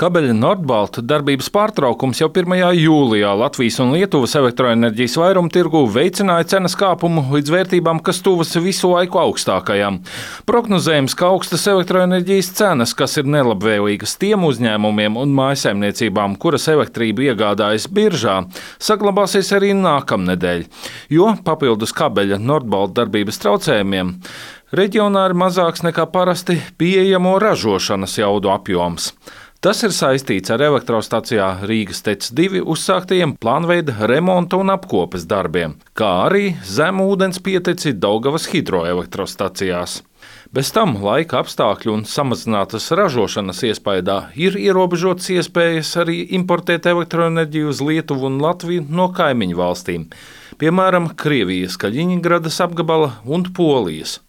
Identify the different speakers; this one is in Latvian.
Speaker 1: Kabeļa Nordbalta darbības pārtraukums jau 1. jūlijā Latvijas un Lietuvas elektroenerģijas vairumtirgū veicināja cenas kāpumu līdz vērtībām, kas tuvas visu laiku augstākajām. Prognozējams, ka augstas elektroenerģijas cenas, kas ir nelabvēlīgas tiem uzņēmumiem un mājsaimniecībām, kuras elektrību iegādājas biržā, saglabāsies arī nākamnedēļ, jo papildus Kabeļa Nordbalta darbības traucējumiem reģionā ir mazāks nekā parasti pieejamo ražošanas jaudu apjoms. Tas ir saistīts ar elektrostacijā Rīgas TEC 2 uzsāktajiem plānveida remonta un apkopes darbiem, kā arī zemu ūdens pieteci Daugavas hidroelektrostacijās. Bez tam laika apstākļu un samazinātas ražošanas iespējā ir ierobežotas iespējas arī importēt elektroenerģiju uz Lietuvu un Latviju no kaimiņu valstīm, piemēram, Krievijas Kaļiņgradas apgabala un Polijas.